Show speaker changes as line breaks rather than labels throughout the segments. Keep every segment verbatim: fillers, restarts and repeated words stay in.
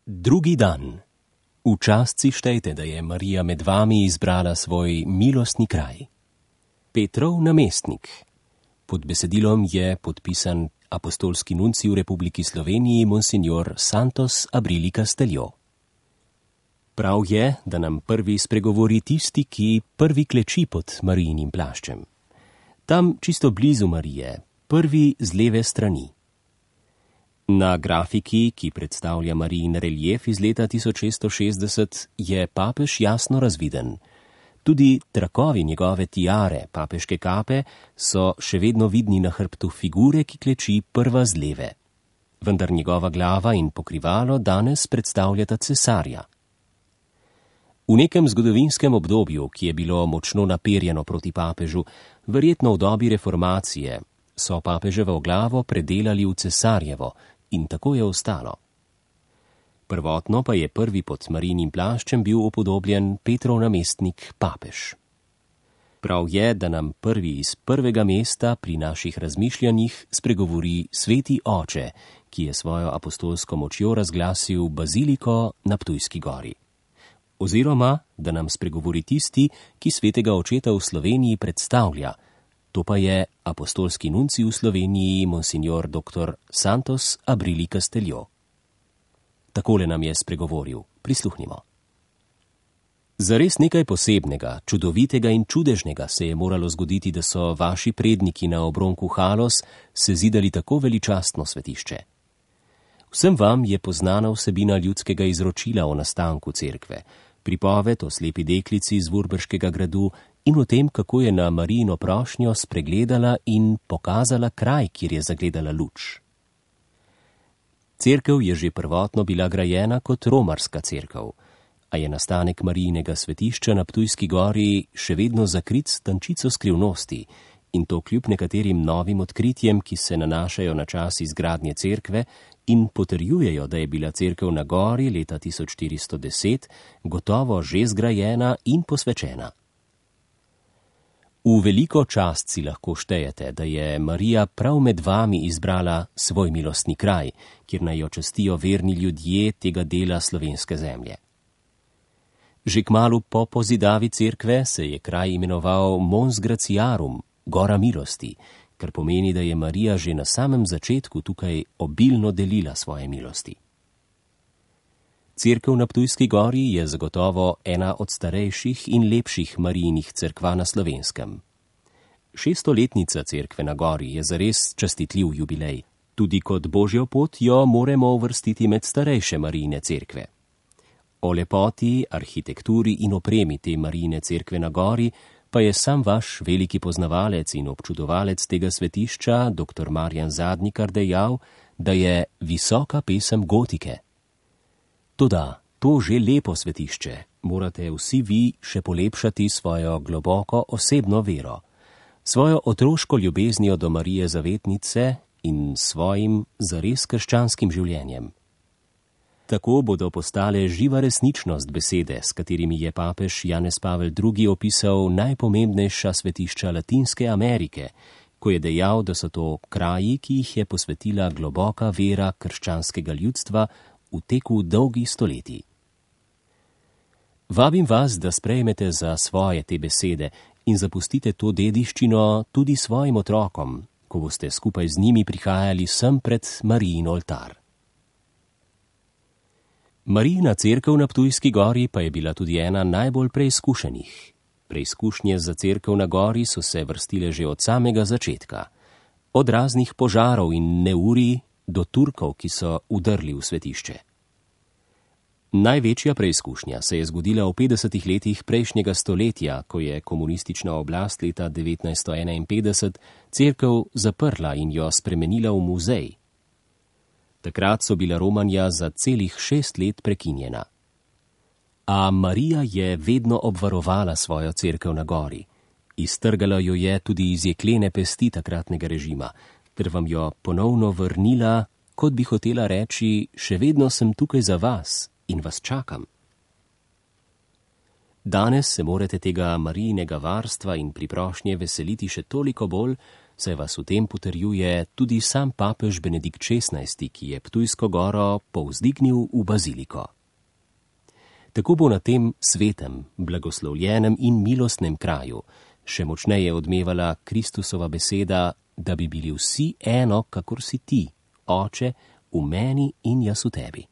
Drugi dan. V čast si štejte, da je Marija med vami izbrala svoj milostni kraj. Petrov namestnik. Pod besedilom je podpisan apostolski nuncij v Republiki Sloveniji monsignor Santos Abrili Casteljo. Prav je, da nam prvi spregovori tisti, ki prvi kleči pod Marijinim plaščem. Tam čisto blizu Marije, prvi z leve strani. Na grafiki, ki predstavlja Marijin relief iz leta tisoč šeststo šestdeset, je papež jasno razviden. Tudi trakovi njegove tiare, papeške kape, so še vedno vidni na hrbtu figure, ki kleči prva z leve. Vendar njegova glava in pokrivalo danes predstavljata cesarja. V nekem zgodovinskem obdobju, ki je bilo močno naperjeno proti papežu, verjetno v dobi reformacije, so papeževo glavo predelali v cesarjevo in tako je ostalo. Prvotno pa je prvi pod Marijinim plaščem bil upodobljen Petrov namestnik papež. Prav je, da nam prvi iz prvega mesta pri naših razmišljanjih spregovori sveti oče, ki je svojo apostolsko močjo razglasil baziliko na Ptujski gori. Oziroma, da nam spregovori tisti, ki svetega očeta v Sloveniji predstavlja, to pa je apostolski nuncij v Sloveniji monsignor doktor Santos Abrili Casteljo. Takole nam je spregovoril. Prisluhnimo. Zares nekaj posebnega, čudovitega in čudežnega se je moralo zgoditi, da so vaši predniki na obronku Halos sezidali tako veličastno svetišče. Vsem vam je poznana vsebina ljudskega izročila o nastanku cerkve, pripoved o slepi deklici iz Vurberškega gradu in o tem, kako je na Marijino prošnjo spregledala in pokazala kraj, kjer je zagledala luč. Cerkev je že prvotno bila grajena kot romarska cerkev, a je nastanek Marijinega svetišča na Ptujski gori še vedno zakrit s tančico skrivnosti, in to kljub nekaterim novim odkritjem, ki se nanašajo na čas izgradnje cerkve in potrjujejo, da je bila cerkev na gori leta tisoč štiristo deset gotovo že zgrajena in posvečena. V veliko čast si lahko štejete, da je Marija prav med vami izbrala svoj milostni kraj, kjer naj jo častijo verni ljudje tega dela slovenske zemlje. Že kmalu po pozidavi cerkve se je kraj imenoval Mons Graciarum, Gora milosti, kar pomeni, da je Marija že na samem začetku tukaj obilno delila svoje milosti. Cerkev na Ptujski gori je zagotovo ena od starejših in lepših Marijinih cerkva na Slovenskem. Šeststoletnica cerkve na gori je zares častitljiv jubilej. Tudi kot božjo pot jo moramo uvrstiti med starejše Marijine cerkve. O lepoti, arhitekturi in opremi te Marijine cerkve na gori pa je sam vaš veliki poznavalec in občudovalec tega svetišča, doktor Marjan Zadnikar, dejal, da je visoka pesem gotike. Toda, to že lepo svetišče morate vsi vi še polepšati svojo globoko osebno vero, svojo otroško ljubeznijo do Marije Zavetnice in svojim zares krščanskim življenjem. Tako bodo postale živa resničnost besede, s katerimi je papež Janez Pavel drugi opisal najpomembnejša svetišča Latinske Amerike, ko je dejal, da so to kraji, ki jih je posvetila globoka vera krščanskega ljudstva v teku dolgih stoletij. Vabim vas, da sprejmete za svoje te besede in zapustite to dediščino tudi svojim otrokom, ko boste skupaj z njimi prihajali sem pred Marijin oltar. Marijina cerkev na Ptujski gori pa je bila tudi ena najbolj preizkušenih. Preizkušnje za cerkev na gori so se vrstile že od samega začetka. Od raznih požarov in neurij do Turkov, ki so udrli v svetišče. Največja preizkušnja se je zgodila v petdesetih letih prejšnjega stoletja, ko je komunistična oblast leta devetnajststo enainpetdeset cerkev zaprla in jo spremenila v muzej. Takrat so bila romanja za celih šest let prekinjena. A Marija je vedno obvarovala svojo cerkev na gori. Iztrgala jo je tudi iz jeklene pesti takratnega režima, ter vam jo ponovno vrnila, kot bi hotela reči, še vedno sem tukaj za vas in vas čakam. Danes se morate tega Marijinega varstva in priprošnje veseliti še toliko bolj, saj vas v tem potrjuje tudi sam papež Benedikt šestnajsti, ki je Ptujsko goro povzdignil v baziliko. Tako bo na tem svetem, blagoslovljenem in milostnem kraju še močneje odmevala Kristusova beseda, da bi bili vsi eno, kakor si ti, Oče, v meni in jaz v tebi.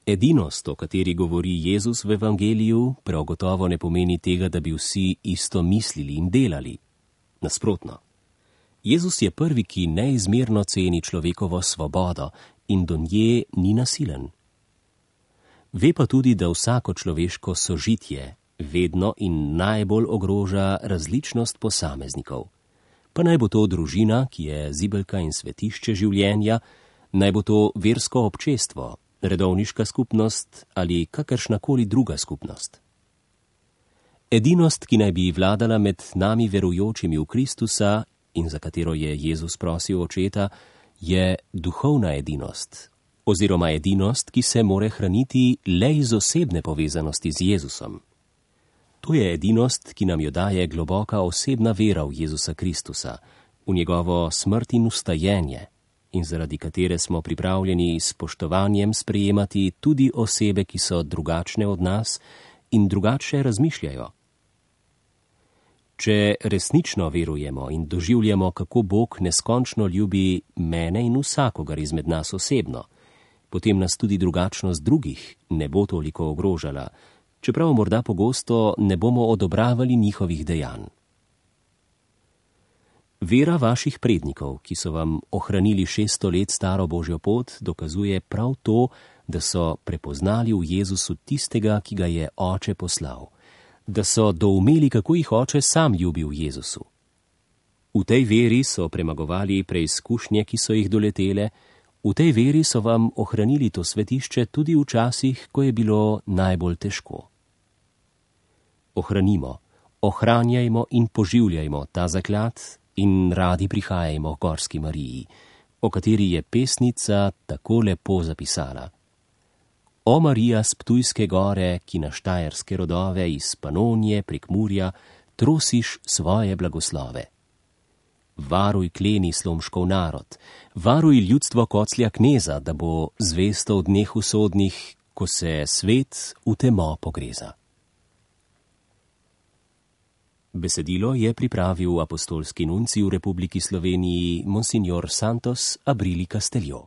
Edinost, o kateri govori Jezus v evangeliju, prav gotovo ne pomeni tega, da bi vsi isto mislili in delali. Nasprotno. Jezus je prvi, ki neizmerno ceni človekovo svobodo in do nje ni nasilen. Ve pa tudi, da vsako človeško sožitje vedno in najbolj ogroža različnost posameznikov. Pa naj bo to družina, ki je zibelka in svetišče življenja, naj bo to versko občestvo, redovniška skupnost ali kakršnakoli druga skupnost. Edinost, ki naj bi vladala med nami verujočimi v Kristusa in za katero je Jezus prosil Očeta, je duhovna edinost, oziroma edinost, ki se more hraniti le iz osebne povezanosti z Jezusom. To je edinost, ki nam jo daje globoka osebna vera v Jezusa Kristusa, v njegovo smrt in vstajenje, in zaradi katere smo pripravljeni s spoštovanjem sprejemati tudi osebe, ki so drugačne od nas in drugače razmišljajo. Če resnično verujemo in doživljamo, kako Bog neskončno ljubi mene in vsakogar izmed nas osebno, potem nas tudi drugačnost drugih ne bo toliko ogrožala, čeprav morda pogosto ne bomo odobravali njihovih dejanj. Vera vaših prednikov, ki so vam ohranili šeststo let staro Božjo pot, dokazuje prav to, da so prepoznali v Jezusu tistega, ki ga je Oče poslal, da so doumeli, kako jih Oče sam ljubi v Jezusu. V tej veri so premagovali preizkušnje, ki so jih doletele, v tej veri so vam ohranili to svetišče tudi v časih, ko je bilo najbolj težko. Ohranimo, ohranjajmo in poživljajmo ta zaklad in radi prihajajmo k Gorski Mariji, o kateri je pesnica tako lepo zapisala. O Marija s Ptujske gore, ki na štajerske rodove iz Panonije, Prekmurja, trosiš svoje blagoslove. Varuj kleni Slomškov narod, varuj ljudstvo Koclja kneza, da bo zvesto v dneh usodnih, ko se svet v temo pogreza. Besedilo je pripravil apostolski nuncij v Republiki Sloveniji, monsignor Santos Abrili Casteljo.